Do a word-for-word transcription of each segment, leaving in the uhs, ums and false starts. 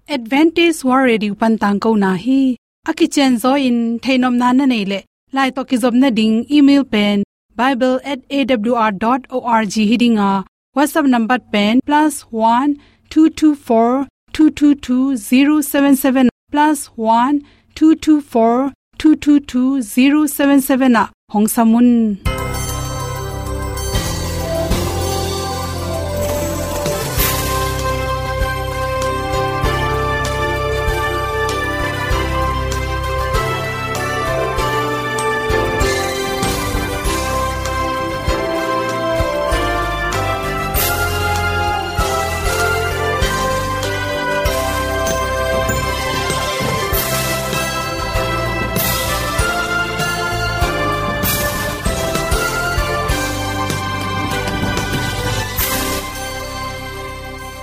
Adventist World Radio pan tangkona hi. A kicianzaw in theihnopna na neih leh, lai tawh kizopna ding email pen bible at A W R dot org hi ding a, WhatsApp number pen plus one two two four two two two zero seven seven, plus one two two four two two two zero seven seven ah hong sam un.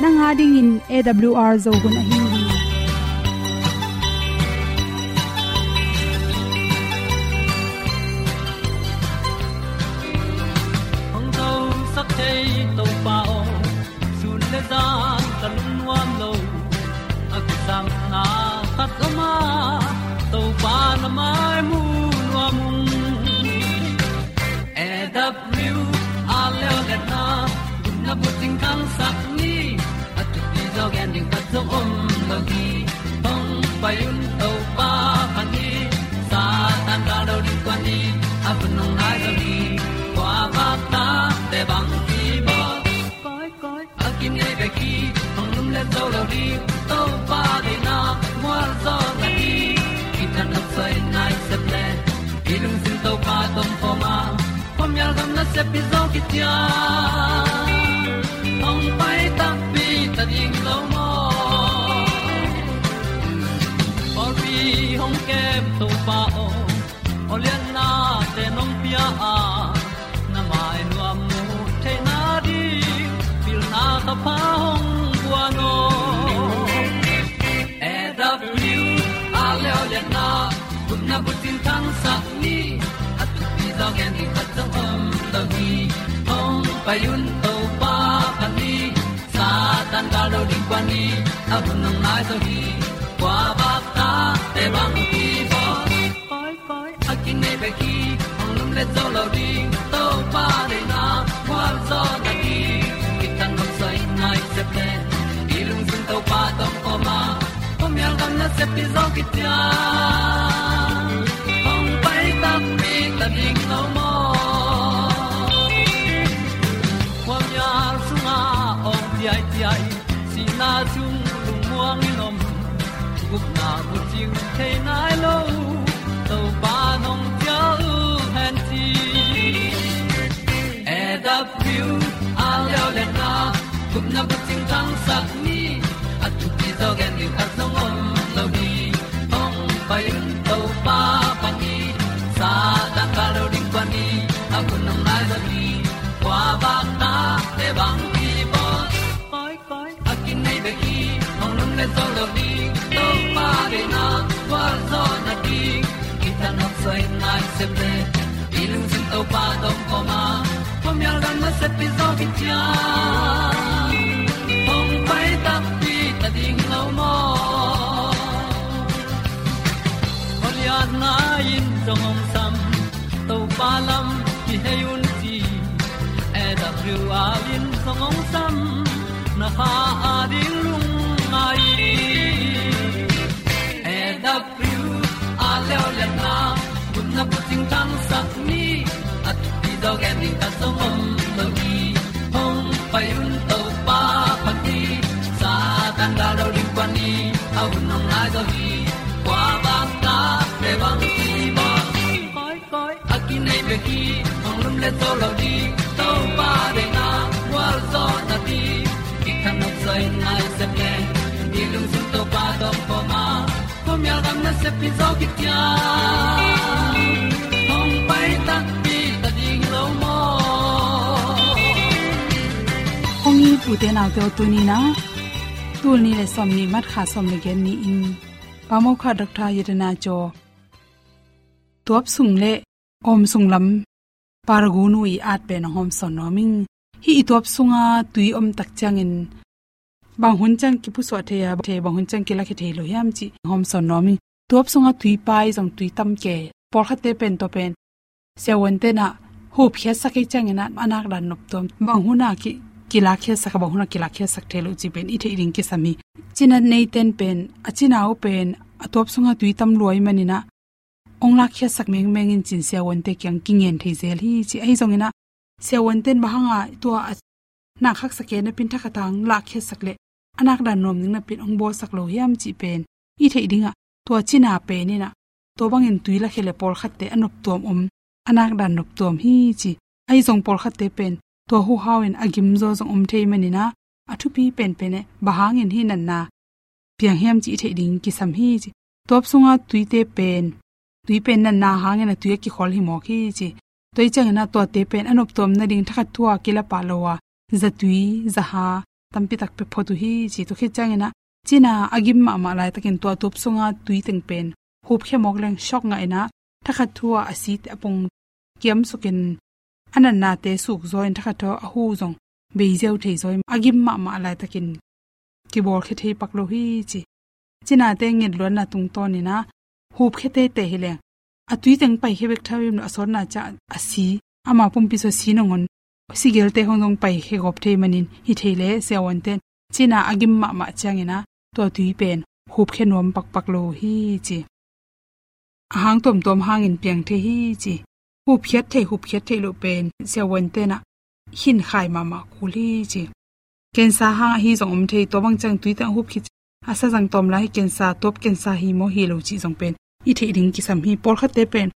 Nang a dingin A W R Zo hun ahi hi. Hong zosak thei Topa aw, sun le zan ka lungnuam lo. A kisapna khat om a, Topa na mai mu nuam ung. A W R leo le na, gupna bucing khangsak ni. A thupi zaw gen ding khat zong om lo hi. Hong pai un Topa pha ni. Satan gal lo ding kua ni. A hun hong nai zaw ni. Kua bak ta te bang ki bawl. Koi, koi, a kinei bek hi, hong lum le zo lo ding, Topa deihna mual zaw na hi. Kitang nok soi nai sep le, i lungsim Topa tawh om khawm a, khuamial gam nasep hi zaw kician. Hong pai takpi ta ding lo maw? Pawlpi hong kem Topa aw, aw liannate nong pia a, na mai nuam mu theihna ding, pilna ka pha hong guan aw. A W R leo lianna, gupna bucing khangsak ni. A thupi zaw gen ding khat zong om lo hi. Hong pai un Topa pha ni. Satan gal lo ding kua ni. A hun hong nai zaw hi. Kua bak ta te bang ki bawl. Koi, koi, a kinei bek hi, hong lum le zo lo ding, Topa deihna mual zaw na hi. Kitang nok soi nai sep le, i lungsim Topa tawh om khawm a, khuamial gam nasep hi zaw kician. Hong pai takpi ta ding lo maw? Khuamial sungah awng ciaiciai, sihna sung lungmuang in om, gupna bucing thei nai lo, Topa nong ciah uh hen ci. A W R leo lianna, gupna bucing khangsak ni. A thupi zaw gen ding khat zong om lo hi. Hong pai un Topa pha ni. Satan gal lo ding kua ni. A hun hong nai zaw hi. Kua bak ta te bang ki bawl. Koi, koi, a kinei bek hi, hong lum le zo lo ding, Topa deihna gual zaw na ding. Kitang nok soi nai sep le, i lungsim Topa tawh om khawm a, khuamial gam nasep hi zaw kician. Hong pai takpi ta ding lo maw? Khualiatna in zong hong sam, Topa lam kihei un ci. A W R in zong hong sam, na kha a ding lungngai. A W R leo lianna, gupna bucing khangsak ni. A thupi zaw gen ding khat zong om lo hi. Hong pai un Topa pha ni. Satan gal lo ding kua ni. A hun hong nai zaw hi. Kua bak ta te bang ki bawl. Koi, koi, a kinei bek hi, hong lum le zo lo ding, Topa deihna gual zaw na ding. Kitang nok soi nai sep le, i lungsim Topa tawh om khawm a, khuamial gam nasep hi zaw kician. Hong pai takpi ta ding lo maw? Kong it ute naute aw, tuni-in ah, tul nih le sawmnih March kha sawm le giat ni-in, Pa Mo Kha Doctor Yetana Jaw tuap sung le awm sung lam Paraguay nu i at pen hong hawmsawn nuam ing. Hih i tuap sunga tui om tak ciangin bang hun ciang kipusuah thei a, thei bang hun ciang kilakhia thei lo hiam cih hawmsawn nuam ing. Tuap sungah tui pai zong tui tam kei. Pawlkhatte pen tua pen siavuante in ah hupkhiatsak ahih ciangin ah a nakdan noptuam, bang hun ah ki, kilakkhiatsak a, bang hun ah kilakkhiatsak thei lo cih pen i theih ding kisam hi. Cina neite in pen a cina uh pen a tuap sungah tui tam lua ahih manin ah hong lakkhiatsak mengmeng in ci-in siavuante kiang kingen thei zel hi ci. Ahi zongin ah siavuante in bang hang a tua a nakkhaksa kei napi-in thakhat hang lakkhiatsak leh a nakdan nuam ding napi-in hong bawlsak lo hiam cih pen i theih ding ah, tua cina pen in ah tua bangin tui lakhia leh pawlkhatte a noptuam om, a nakdan noptuam hi ci. Ahi zong pawlkhatte pen tua huhau in a gimzaw zong om thei manin ah a thupi penpen eh bang hangin hih natna piang hiam cih i theih ding kisam hi ci. Tuap sungah tuite pen, tui pen natna hangin a tui a kikhol hi mawk hi ci. Tua ahih ciangin ah tuate pen a noptuam nading thakhat thu ah kila pah lo a, zatui, zaha tampi tak pia phot uh hi ci. Tua khit ciangin ah cina a gim mahmah laitakin tua tuap sungah tui teng pen hupkhia mawk leng shock ngah in ah thakhat thu ah a site a pong kiamsukin a natnate sukzaw in thakhat thu a hu zong bei ziau thei zaw in a gim mahmah laitakin kibawlkhia thei pak lo hi ci. Cinate ngetluatna tungtawn in ah hupkhia teitei hi leng a tui teng paikhia bek tham lo, a sawtna ciang a si, ama pumpi sung a si nangawn sigelte khawng zong paikhia gawp thei manin hi thei leh siavuante in cina a gim mahmah ciangin ah tua tui pen hupkhia nuam pakpak lo hi ci. A hang tuamtuam hangin piang thei hi ci. Hupkhiat thei, hupkhiat theih loh pen siavuante in ah khinkhai mahmah kul hi ci. Cancer hang ahi zong om thei, tua bang ciang tui teng a hupkhia a sa zang tawm lai hi cancer, tuap cancer hi maw hi lo cih zong pen i theih ding kisam hi. Pawlkhatte pen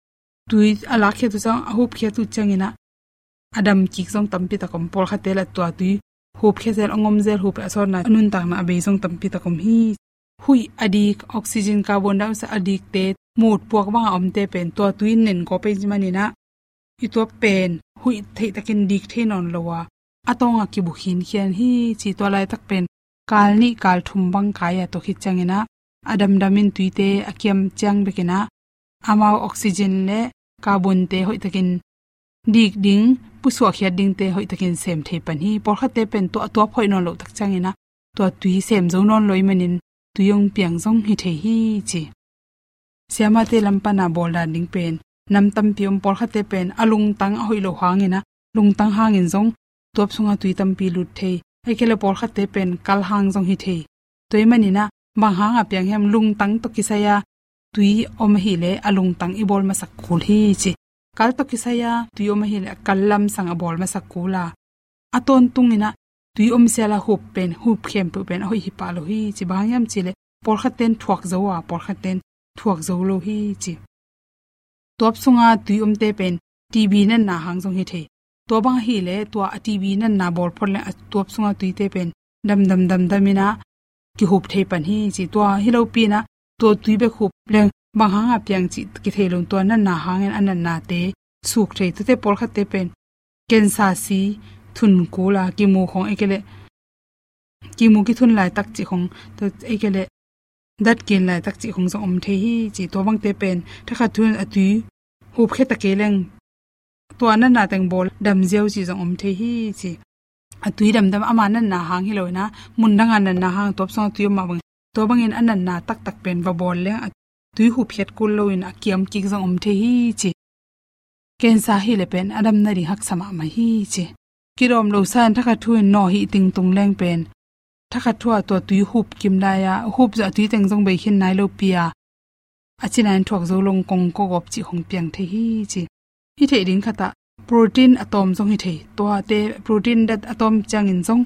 tui a lakkhiat uh ciang, a hupkhiat uh ciangin ah a dam kik zong tampi tak om. Pawlkhatte lah tua tui hupkhia zel, a ngom zel, hup a sawtna, a nuntakna a bei zong tampi tak om hi. Huih a dik, oxygen, carbon dioxide a dikte, mut puak bang a omte pen tua tui in nen gawp ahih manin ah i tuap pen huih theih takin dik thei nawn lo a, a tawng ah kibu khinkhian hi ci. Tua laitak pen kal nih kal thum bang kai a, tua khit ciangin ah a damdam in tuite a kiam ciang bekin ah amau oxygen leh carbonte hoih takin dik ding, pusuahkhiat dingte hoih takin sem thei pan hi. Pawlkhatte pen tua a tuap hoih nawn loh tak ciangin ah tua tui sem zo nawn lo ahih manin tui hong piang zong hi thei hi ci. Siamate lam pan a bawl dan ding pen nam tampi om. Pawlkhatte pen a lungtang a hoih loh hangin ah, lungtang hangin zong tuap sungah tui tampi lut thei. Ahih kei leh pawlkhatte pen kal hang zong hi thei. Tua ahih manin ah bang hang a piang hiam, lungtang tawh kisai a tui om ahih leh a lungtang i bawl masak kul hi ci. Kal tawh kisai a tui om ahih leh a kal lamsang a bawl masak kul a, a tawntungin ah tui om sial a hup pen, hup khempeuh pen a hoih hi pah lo hi ci. Bang hang hiam cih leh pawlkhatte in thuak zo a, pawlkhatte in thuak zo lo hi ci. Tuap sungah tui omte pen T B natna hang zong hi thei. Tua bang ahih leh tua a T B natna bawl phot leng a tuap sungah tuite pen damdam damdam in ah kihup thei pan hi ci. Tua hi lopi in ah tua tui bek hup leng bang hang a piang cih kithei lo, tua natna hangin a natnate suk thei. Tuate pawlkhatte pen cancer si thun kul a, kimu khawng ahih kei leh kimu kithun laitak cih khawng, tua ahih kei leh dat kin laitak cih khawng zong om thei hi ci. Tua bangte pen thakhat thu in a tui hupkhia ta kei leng tua natna teng bawl dam ziau cih zong om thei hi ci. A tui damdam ama natna hang hi lo in ah, mun dang a natna hang, tuap sungah tui om mah bang, tua bangin a natna taktak pen va bawl leng a tui hupkhiat kul lo in a kiam kik zong om thei hi ci. Cancer ahih leh pen a dam nading haksa mahmah hi ci. Kidawm lo sa in thakhat thu in nawh hih tingtung leng pen thakhat thu ah tua tui hup kim lai a, hup zawh a tui teng zong bei khin nai lopi a, a cina in thuak zo lo, kong kawgawp cih khawng piang thei hi ci. I theih ding khat ah protein a tawm zong hi thei. Tuate protein dat a tawm ciangin zong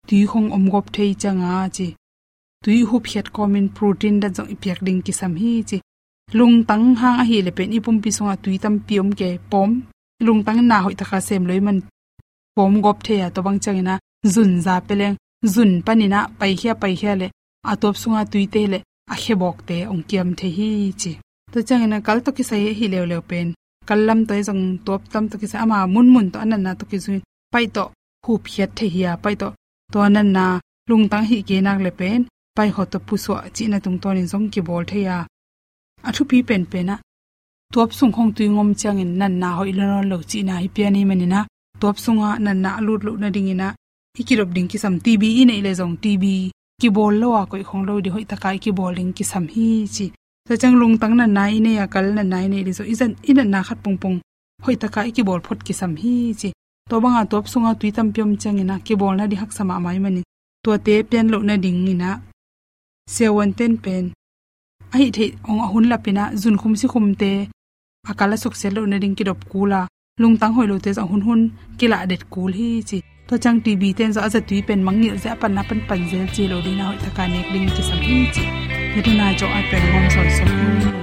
tui khawng om gawp thei ciang a ci. Tui hupkhiat kawmin protein dat zong i piak ding kisam hi ci. Lungtang hang ahih leh pen i pumpi sungah tui tampi om kei, pawm, lungtang na hoih taka sem lo ahih man pawm gawp thei a, tua bang ciangin ah zun za pia leng, zun panin ah paikhia paikhia leh a tuap sungah tuite leh a khebawkte hong kiam thei hi ci. Tua ciangin ah kal tawh kisai ahi leuleu pen kal lam tawh hi zong, tuap lam tawh kisai, ama munmun tawh a natna tawh kizui paih tawh hupkhiat thei hi a, paih tawh tua natna lungtang hih kei nak leh pen paih khawng tawh pusuah cihna tungtawnin zong kibawl thei a, a thupi penpen ah tuap sung khawng tui ngom ciangin natna hoih lo nawn lo cihna hi pian ahih manin ah, tuap sungah natna a lut loh nadingin ah i kidop ding kisam. T B i neih leh zong T B kibawl lo a koih khong lo ding, hoih taka i kibawl ding kisam hi ci. Tua ciang lungtang natna i nei a, kal natna i neih leh zong i zat, i natna khat pongpong hoih taka i kibawl phot kisam hi ci. Tua banga tuap sunga tui tampi om ciangin ah kibawl nading haksa mahmah ahih manin tuate pian loh nadingin ah siavuante'n pen a hih theih hong a hun lapin ah zunkhum sikhumte a kal a suksiat loh nading kidop kul a, lungtang hoih lote zong hunhun kilah det kul hi ci. Tua ciang T B te'n zong a zatui pen mangngilh zel, a patna pan pan zel ci lo ding a, hoih taka nek ding kisam hi ci. Hih tuni a zawh a pen ngawm sawnsawn hi.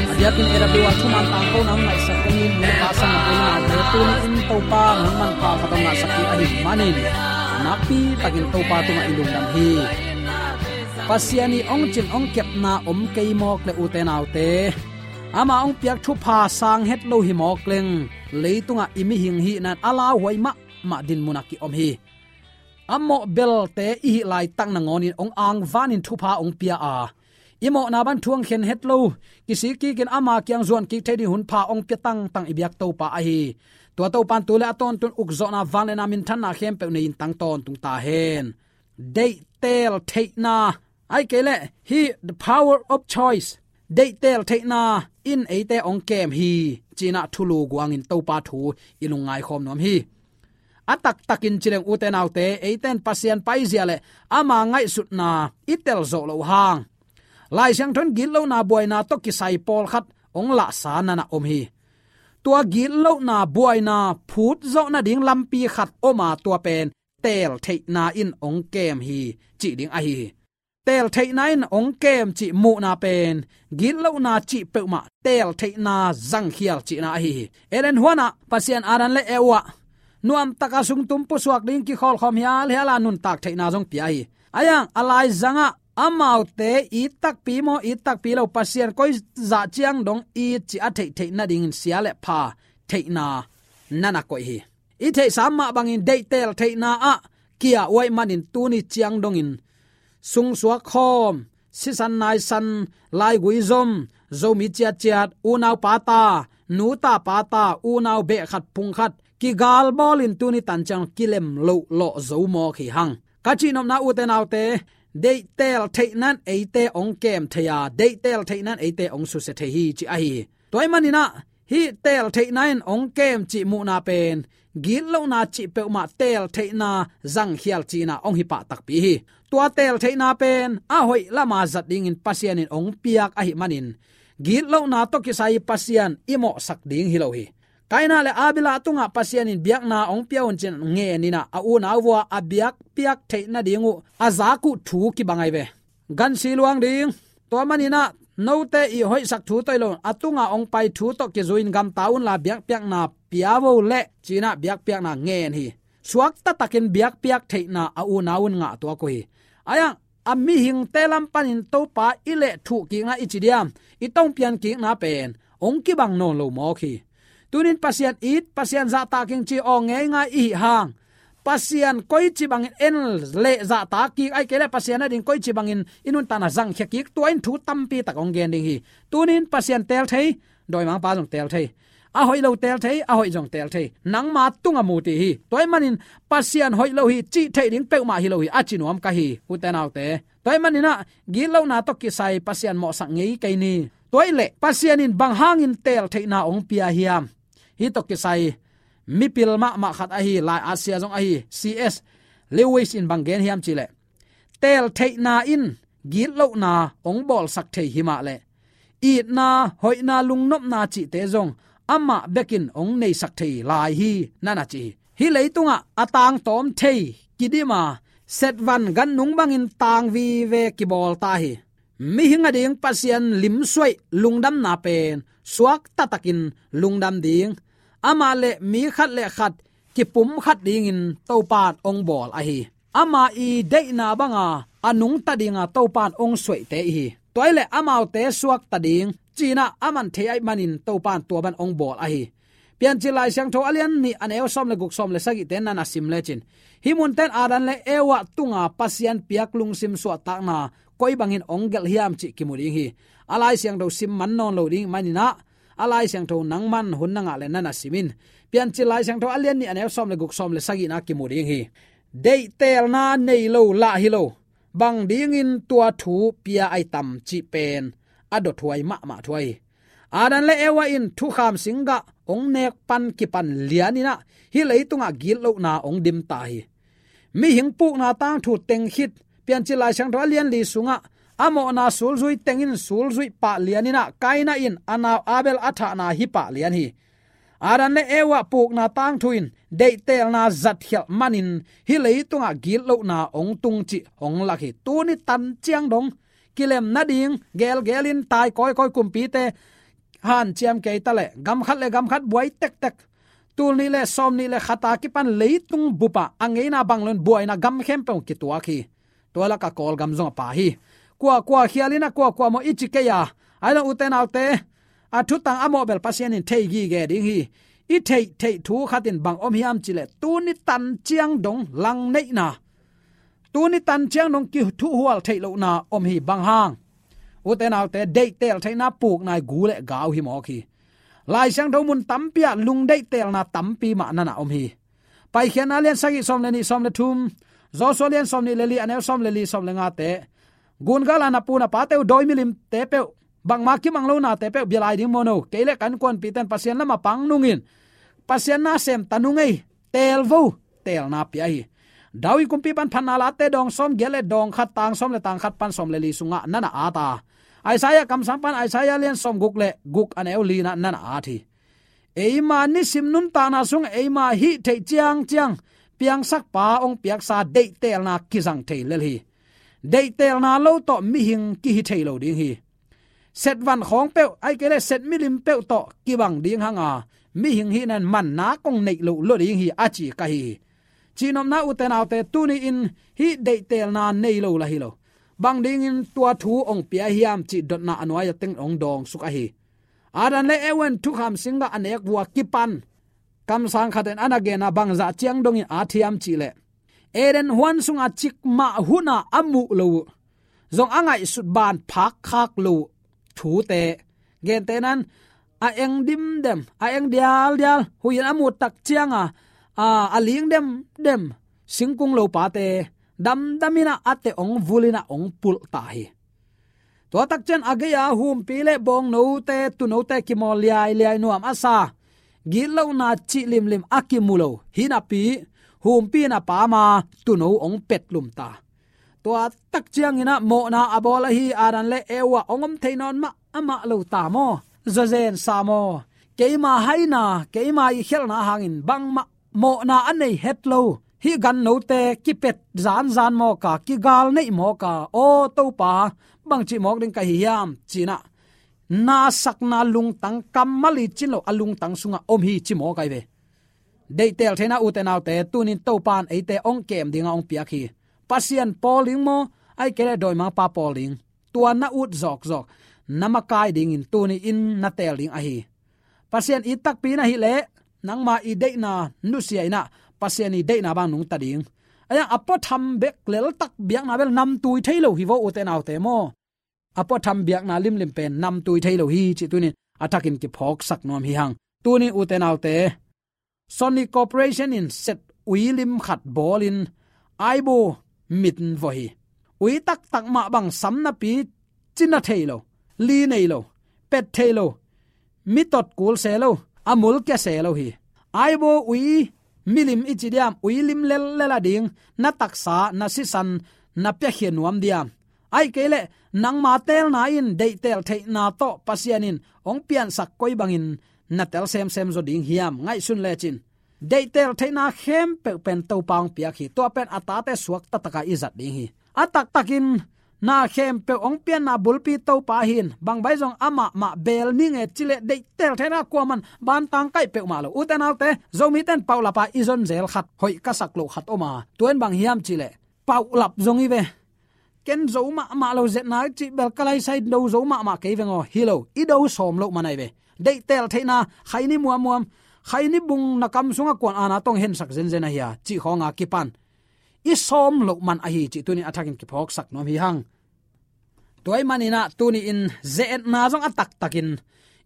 A diakin A W R thuman tangko na hong ngaihsak kong in, hong pasang a pui na te tuni in Topa hong manpha khat hong ngahsak hi ahih manin nakpi takin Topa tungah i lungdam hi. Pasian i hong cin hong kepna om kei mawk le, ute naute, ama hong piak thupha sang het lo hi mawk leng, leitungah i mihing hihna in a lauhuai mahmah dinmunah ki-om hi. A mawh belte i hih laitak nangawnin hong angvanin thupha hong pia a, i mawhna bang thu hong khen het lo, kisik kikin ama kiang zuan kik thei ding hunpha hong pia tangtang i biak Topa ahi. Tua Topa in tu le a tawntung ukzawhna, vangliatna, minthanna khempeuh nei-in tang tawntung ta hen. Deihtel theihna, ahih kei leh hih the power of choice, deihtel theihna in eite hong kem hi, ci-in ah thulu guangin Topa thu i lungngai khawm nuam hi. A taktakin ci leng, ute naute, eite in Pasian paizia le ama ngaihsutna i tel zawh loh hang, Lai Siangtho in gitlohna buaina tawh kisai pawlkhat hong lahsa nana om hi. Tua gitlohna buaina phut zawh nading lampi khat om a, tua pen teel theihna in hong kem hi, cih ding ahi hi. Teeltheihna in hong kem cih muhna pen gitlohna cih peuhmah teeltheihna zangkhial cihna ahi hi. Eden huanah Pasian Adam le Eva nuamtaka sungtum pusuak ding kikhawlkhawm hialhial a nuntak theihna zong pia hi. Ahi zongin a laizangah amaute it takpi maw it takpi lo, Pasian koi zah ciang dong it cih a theihtheih nadingin sia le pha theihna na na koih hi. I theihsa mah bangin deih teeltheihna ah kia uh ahih manin tuni ciang dongin sungsuak khawm, sisan naisan, laigui zom, Zomi ciatciat, unau pata, nuta pata, unau beh khat phung khat kigal bawlin tuni tan ciang kilem loh lawh zo mawk hi hang. Ka cihnopna ute naute, deih teeltheihna in eite hong kem thei a, deih teeltheihna in eite hong susia thei hi cih ahi hi. Tua ahih manin ah hih teeltheihna in hong kem cih muhna pen gitlohna cih peuhmah teeltheihna zangkhial cihna hong hi pah takpi hi. Tua teeltheihna pen a hoih lama zat dingin Pasian in hong piak ahih manin gitlohna tawh kisai Pasian i mawhsak ding hi lo hi. Kaina le Abel a tungah Pasian in biakna hong pia un ci-in ngen in ah a unau vua a biakpiak theih nading uh a zak uh thu kibang ahi ve. Gansi luang ding. Tua manin ah note i hoihsak thu tawh hi lo, a tungah hong pai thu tawh kizui-in gamta unla biakpiakna pia vo leh ci-in ah biakpiakna ngen hi. Suakta takin biakpiak theihna a unau un ngah tuak uh hi. Ahi zongin a mihingte lam panin Topa i leh thuh kikna i ci diam, i tongpian kikna pen hong kibang nawn lo mawk hi. Tunin Pasian it, Pasian zahtak ing ci aw ngeingai i hih hang, Pasian koici bangin en le zahtak kik, ahih kei leh Pasian ading koici bangin i nuntakna zangkhia kik, tua in thu tampi tak hong gen ding hi. Tunin Pasian teel thei, dawimangpa zong teel thei. A hoih lo teel thei, a hoih zong teel thei. Nangma tungah mu ti hi. Tua ahih manin Pasian hoih lo hi cih theih ding peuhmah hi lo hi, a ci nuam ka hi, ute naute. Tua ahih manin ah gitlohna tawh kisai Pasian mawhsak ngei kei ni. Tua ahih leh Pasian in bang hangin teeltheihna hong pia hiam? Hih tawh kisai mipil mahmah khat ahi, lai-at sia zong ahi, C S Lewis in bang gen hiam cih leh, teeltheihna in gitlohna hong bawlsak thei hi mah leh itna, hoihna, lungnopna cihte zong amah bekin hong neisak thei lai hi, na na ci hi. Hih leitungah a tangtawm thei kidim a, setvan gannung bangin tang vive kibawl ta hi. Mihing ading Pasian limsuaih lungdamna pen suakta takin lungdam ding, amah le mi khat le khat kipumkhat dingin Topa in hong bawl ahi. Ama i deihna banga a nungta dinga Topa in hong suaihte i hi. Tua ahih leh amaute suakta ding ci-in ah a man thei ahih manin Topa in tua bang hong bawl ahi. Piancil Lai Siangtho a lian nih a neu sawm le guk, sawm le sagihte na na sim lecin, hih munte in Adam le Eva tunga Pasian piak lungsim suahtakna koi bangin hong gelh hiam cih kimu ding hi. A Lai Siangtho sim man nawn lo ding ahih manin ah a Lai Siangtho nangman hun na ngah leh na na sim in. Piancil Lai Siangtho a lian nih a neu sawm le guk, sawm le sagihna kimu ding hi. Deihtelna nei lo lah hi lo, bang dingin tua thu pia ahi tam cih pen a dothuai mahmah thu ahi. Adam le Eva in thukham singgah hong nek pan kipan lianin ah hih leitungah gitlohna hong dim ta hi. Mihing pukna tangthu teng khit, Piancil Lai Siangtho a lian li sungah a mawhna sulzui teng in sulzuih pah lianin ah Kaina in a nau Abel a thahna hi pah lian hi. Adam le Eva pukna tangthu in deihtelna zatkhialh manin hih leitungah gitlohna hong tung cih hong lak hi. Tuni tan ciang dong kilem nading gelgelin tai kawikawi kumpite hanciam kei ta leh gam khat le gam khat buai tektek, tul nih le sawm nih le khat a kipan leitung bupah a ngeina bang loin buaina gam khempeuh kituak hi. Tua lakah Kawlgam zong a pha hi. Kuakua khialin ah kuakua maw i ci kei a, ahi zongin ute naute, a thutang a mawh bel Pasian in thei gige ding hi. I theih theih thu khat in bang om hiam cih leh tuni tan ciang dong langneihna, tuni tan ciang dong kithuhual theih lohna om hi. Bang hang? Ute naute, deihtel theihna pukna i gu le gau hi mawk hi. Lai Siangtho mun tampi ah lungdeihtelna tampi mah na na om hi. Paikhiatna lian sagih sawm le nih, sawm le thum, Joshua lian sawm nih le li, a neu sawm le li, sawm le ngate, gun gal a na pu na pate uh, dawi milimte peuh, bangmah kimang lo nate peuh bia lai ding maw no, kei le ka innkuanpihte in Pasian lamah pang nungin, Pasian na sem ta nung ei, teel vo, teelna pia hi. David kumpi pan Phatna Late dawng sawm giat le dawng khat, tang sawm le tang khat pan sawm le li sungah na na at a, Isaiah kamsang pan Isaiah lian sawm guk le guk, a neu li na na na at hi. Eima nisim nuntakna sung eima hih theih ciangciang piangsakpa hong piaksa deihtelna kizang thei lel hi. Deihtelna lo tawh mihing kihi thei lo ding hi. Setvan khawng peuh, ahih kei leh set milim peuh tawh kibang ding hang a, mihing hihna in manna kong neih loh lua ding hi a ci ka hi hi. Cihnopna ute naute, tuni-in hih deihtelna nei lo lah hi lo. Bang dingin tua thu hong pia hiam cih dotna a nuai-a teng hong dawngsuk ahi. Adam le Eva in thukham singgah a nek uh a kipan, kamsang khat in a na gen a, bangzah ciang dongin a thiam cih leh, Eden huan sunga cikmah hun a a muh lo uh, zong a ngaihsut ban phak khak lo uh thute, gentehna in a eng dimdem, a eng dialdial, huih in a muh tak ciang a, a, a ling demdem singkung lopate damdam in a, a teh hong vul in a hong pulh ta hi. Tua tak ciang a gei-a humpi le bawngnote, tuunote kimawl liailiai, nuam a sa, gitlohna cih limlim a kimu lo hi napi, humpi in a pam a, tuuno hong petlum ta. Tua tak ciangin a mawhna a bawl ahi Adam le Eva hong om thei nawn mahmah lo ta maw? Zawzen sa maw? Keima haina, keima i khialhna hangin bangmah mawhna a nei het lo hih gannote kipet zanzan mawk a, kigal neih mawk a, aw Topa, bangci mawk ding ka hi hiam, ci-in a, na sakna lungtang, kammal i cih lo a lungtang sungah om hi ci mawk ahi ve. Deihtel theihna ute naute, tuni-in Topa in eite hong kem ding a hong piak hi. Pasian pawl ding maw, ahih kei leh dawimangpa pawl ding, tua na ut zawkzawk, na makai dingin tuni-in na teel ding ahi. Pasian it takpi na hih leh, nangma i deihna nusia in a, Pasian i deihna bang nungta ding. Ahih hang a puatham bek leltak biakna bel namtui thei lo hi vo ute naute maw? A puatham biakna limlim pen namtui thei lo hi cih tuni-in a thakin kiphawksak nuam hi hang. Tuni ute naute, Sony Corporation in set ui lim khat bawlin aibaw mit vawh hi. Ui taktak mah bang sam napi, ci na thei lo, li nei lo, pet thei lo, mi tot kul se lo, a mul kia se lo hi. Aibaw ui milim i ci diam, ui lim lellel a ding, na taksa, na sisan, na piakhia nuam diam? Ahih kei leh nangma teelna in deihtel theihna tawh Pasian in hong piansak koi bangin na tel semsem zaw ding hiam? Ngaihsun lecin, deihtel theihna khempeuh pen Topa hong piak hi. Tua pen a tate suakta taka i zat ding hi. A taktakin na khempeuh hong pianna bulpi Topa hi-in, bang bai zong amah mah beel ni nge ci leh deihtel theihna kuaman bantang kaih peuhmah lo. Ute naute, Zomite in paulap a i zon zel khat, hoih ka sak loh khat om a, tua in bang hiam cih leh, paulap zong hi ve. Ken zo mahmah lo, zetna cih bel ka laisai, do zo mahmah kei veng aw. Hi lo, i do sawm loh man ahi ve. Deihtel theihna, Khaini muammuam, Khaini bung na kam sungah kuan aana tawh hong hensak zenzen ahi a, cih khawng a kipan i sawm loh man ahi cih tuni-in a thakin kiphawksak nuam hi hang. Tua ahih manin a tuni-in ze-etna zong a taktakin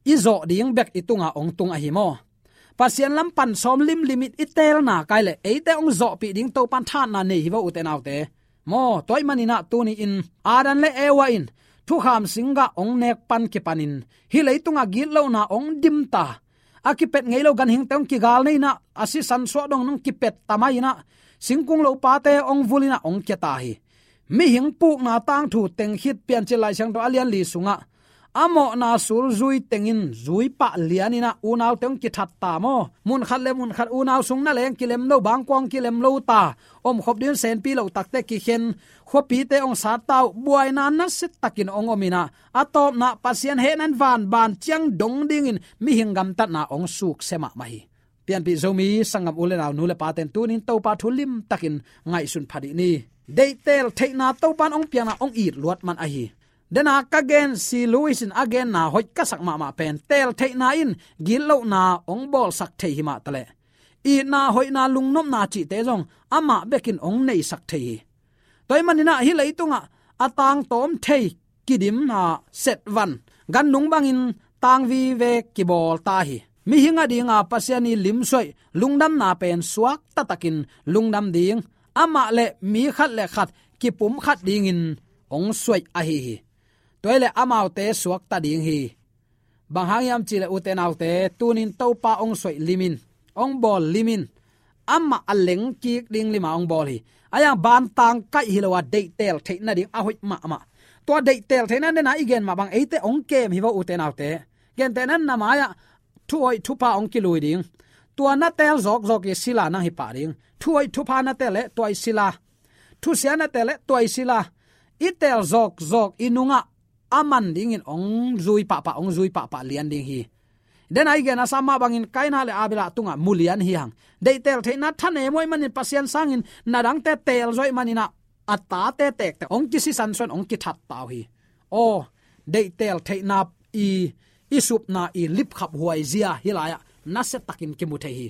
i zawh ding bek i tungah hong tung ahi maw? Pasian lam pan sawm limlim in i teelna kai leh eite hong zawhpih ding Topa in thahatna nei hi vo ute naute maw? Tua ahih manin a tuni-in Adam le Eva in thukham singgah hong nek pan kipanin hih leitungah gitlohna hong dim ta, a kipet ngei lo ganhingte hong kigal nei in a, a sisan suah dong nong kipet ta mai in a, singkung lopate hong vul in a hong kia ta hi. Mihing pukna tangthu teng khit Piancil Lai Siangtho a lian li sungah a mawhna sul zui tengin zui pah lian in a unaute hong kithat ta maw? Mun khat le mun khat unau sung na leng kilem lo, bangkuang kilem lo ta, omkhop ding senpi loh takte kikhen, khuapite hong sat ta uh, buaina nasia takin hong om in a, a tawpna Pasian hehna in vanban ciang dong dingin mihing gamtatna hong suksia mahmah hi. Pianpih Zomi sanggam u le nau, nu le pate in tuni-in Topa thu limtakin ngaihsun pha dih ni. Deihtel theihna Topa in hong piakna hong it luat man ahi. Dena ka gen, C. Lewis in a genna hoih ka sak mahmah pen, teel theihna in gitlohna hong bawlsak thei hi mah taleh, itna hoihna lungnopna cihte zong amah bekin hong neisak thei hi. Tua ahih manin a hih leitungah a tangtawm thei kidim a setvan gannung bangin tang vive kibawl ta hi. Mihing a dinga Pasian i limsuaih lungdamna pen suakta takin lungdam ding, amah le mi khat le khat kipumkhat dingin hong suaih ahi hi. Tua hi leh amaute suakta ding hi. Bang hang hiam cih leh ute naute, tuni-in Topa hong suaih lim in, hong bawl lim in, amah a lengkik ding lima hong bawl hi. Ahih hang bantang kaih hi lo a, deihtel theih nading a hoih mahmah. Tua deihtel theihna dena i gen mah bang eite hong kem hi vo ute naute. Gentehna in na mai-ah thuhoih thupha hong kilui ding. Tua na teel zawkzawk i sila nang hi pah ding. Thuhoih thupha na teel leh tua i sila. Thusia na teel leh tua i sila. i teel zawkzawk i nungah a man dingin hong zui pahpah, hong zui pahpah lian ding hi. Dena i gen a sa mah bangin Kaina le Abela tungah mu lian hi hang. Deihtel theihna thanem uh ahih manin Pasian sangin na dangte teel zawh ahih manin ah a tate tektek hong kisisan suan, hong kithat ta uh hi. Aw, deihtel theihna i, i supna i lipkhap huai zia hih lai-ah nasiatakin kimu thei hi.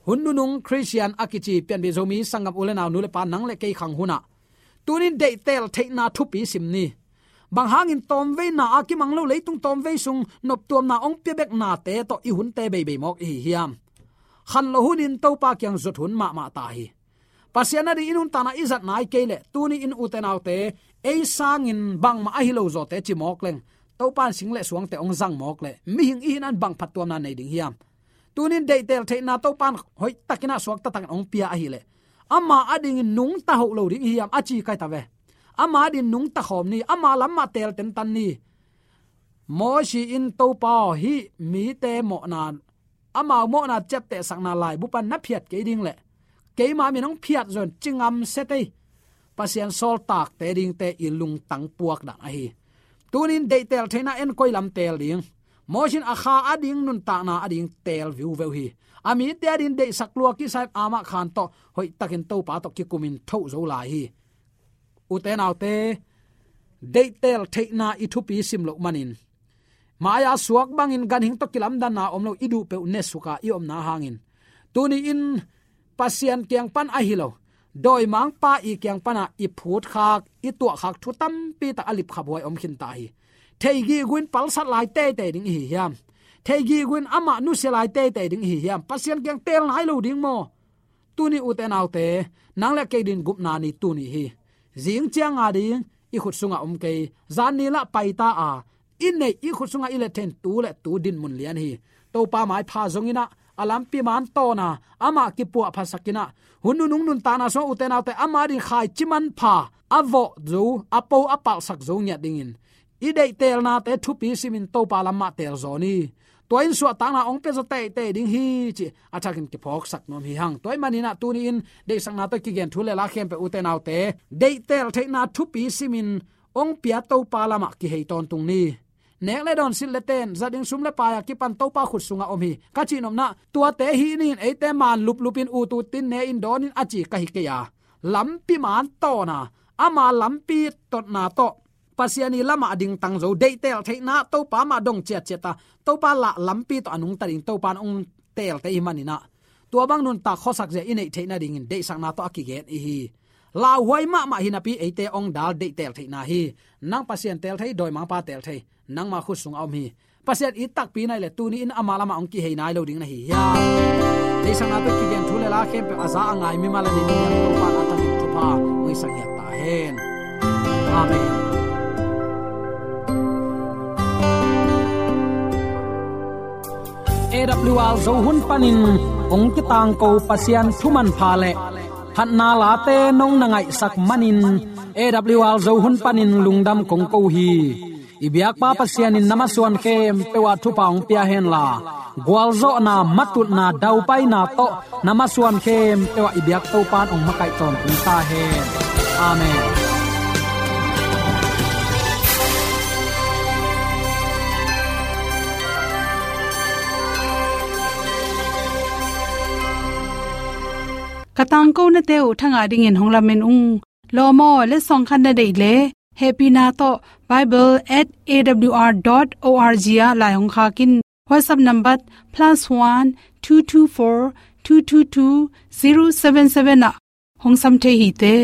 Hun nunung Khristian a kici pianpih Zomi sanggam u le nau, nu le pa, nang le kei khang hunah tunin deihtel theihna thupi sim ni. Bang hangin tawmveina a kimang lo leitung tawmvei sung noptuamna hong pia bek nate tawh i hunte beibei mawk i hi hiam? Khanloh hunin Topa kiang zot hun mahmah ta hi. Pasian ading i nuntakna i zat nai kei leh, tuni in ute naute, ei sangin bangmah ahi lo zawte ci mawk leng, Topa in sing le suangte hong zang mawk leh, mihing i hihna in bang phattuamna nei ding hiam? Tunin deihtel theihna Topa in hoihtakin ah suakta takin hong pia ahih leh, ama adingin nungta hoh lo ding i hi hiam, a ci kai ta ve. Ama adingin nungta khawm ni, ama lam mah teel tentan ni. Mosi in, Topa aw, hih mite mawhna, amau mawhna ciaptehsakna laibu pan na phiat kei ding leh keima min hong phiat zaw in ci ngam se tei. Pasian sawltakte dingte i lungtang puak dan ahi. Tunin deihtel theihna en koi lam teel ding? Mosi in a kha ading nuntakna ading teel viuveu hi. A mite ading deihsak lua kisa in amah khan tawh hoihtakin Topa tawh kikumin thoh zo lai hi. Ute naute, deihtel theihna i thupi sim loh manin, mai-a suak bangin ganhing tawh kilamdanna om lo, i duh peuh ne suka i omna hangin, tuni in Pasian kiang pan ahi lo, dawimangpa i kiang pana i phutkhak, i tuahkhak thu tampi tak a lipkhap huai om khinta hi. Theigihguin palsat lai teitei ding i hi hiam? Theigihguin amah nusia lai teitei ding i hi hiam? Pasian kiang teel nai lo ding maw? Tuni ute naute, nang le kei din gupna ni tuni hi. Zing ciang ading i khut sungah om kei, zan ni lah paita a, i neih i khut sungah i let theih in tu le tu dinmun lian hi. Topa maipha zongin ah, a lampi man tawna amah kipuahphasakin ah, hun nunung nuntakna sungah ute naute, ama ading khaici manpha a vawh zo, a po a palhsak zo ngiat dingin, i deihtelnate thupi simin Topa lam mah teel zaw ni. Tua in suahtakna hong pia zaw teitei ding hi, ci a thakin kiphawksak nuam hi hang. Tua ahih manin ah tuni in deihsakna tawh kigen thu le la khempeuh ute naute, deihtel theihna thupi simin hong pia Topa lamah kihei tawntung ni. Nek le dawn, silh le ten, za ding sum le pai a kipan Topa khut sungah om hi, ka cihnopna, tuate hih ni in eite man luplupin ut utin ne in dawn in a ci ka hi kei a, lampi man tawna, ama lampi totna tawh Pasian i lamah a dingtang zo, deihtel theihna Topa mah dong ciatciat a, Topa lah lampi tawh a nungta ding Topa in hong teelte i hih manin ah, tua bang nuntak khuasak zia i neih theih nadingin deihsakna tawh a kigen i hi. Lauhuai mahmah hi napi eite hong dal deihtel theihna hi. Nang Pasian teel thei, dawimangpa teel thei, nangma khut sungah om hi. Pasian it takpi nai le tuni in ama lamah hong kihei nai lo ding na hi hiam? Deihsakna tawh kigen thu le la khempeuh a za a ngai mimal a nei ding hiam, Topa in a thakin thupha hong hisak ngiat ta hen. Amen. A W R Zo hun panin hong kitangko Pasian thu manpha le phatna late nong na ngaihsak manin, A W R Zo hun panin lungdam kong ko hi. I biakpa Pasian in na masuan khempeuh ah thupha hong pia henla, gualzawhna, matutna, daupaina tawh na masuan khempeuh ah i biak Topa in hong makaih tawntung ta hen. Amen. Ka tangkonate uh thangah dingin hong lamen ung. Lawm aw, letsong khat na deih leh, hehpihna tawh bible at A W R dot O R G ah lai hong khak in. WhatsApp number plus one two two four two two two zero seven seven ah hong sam thei hi te.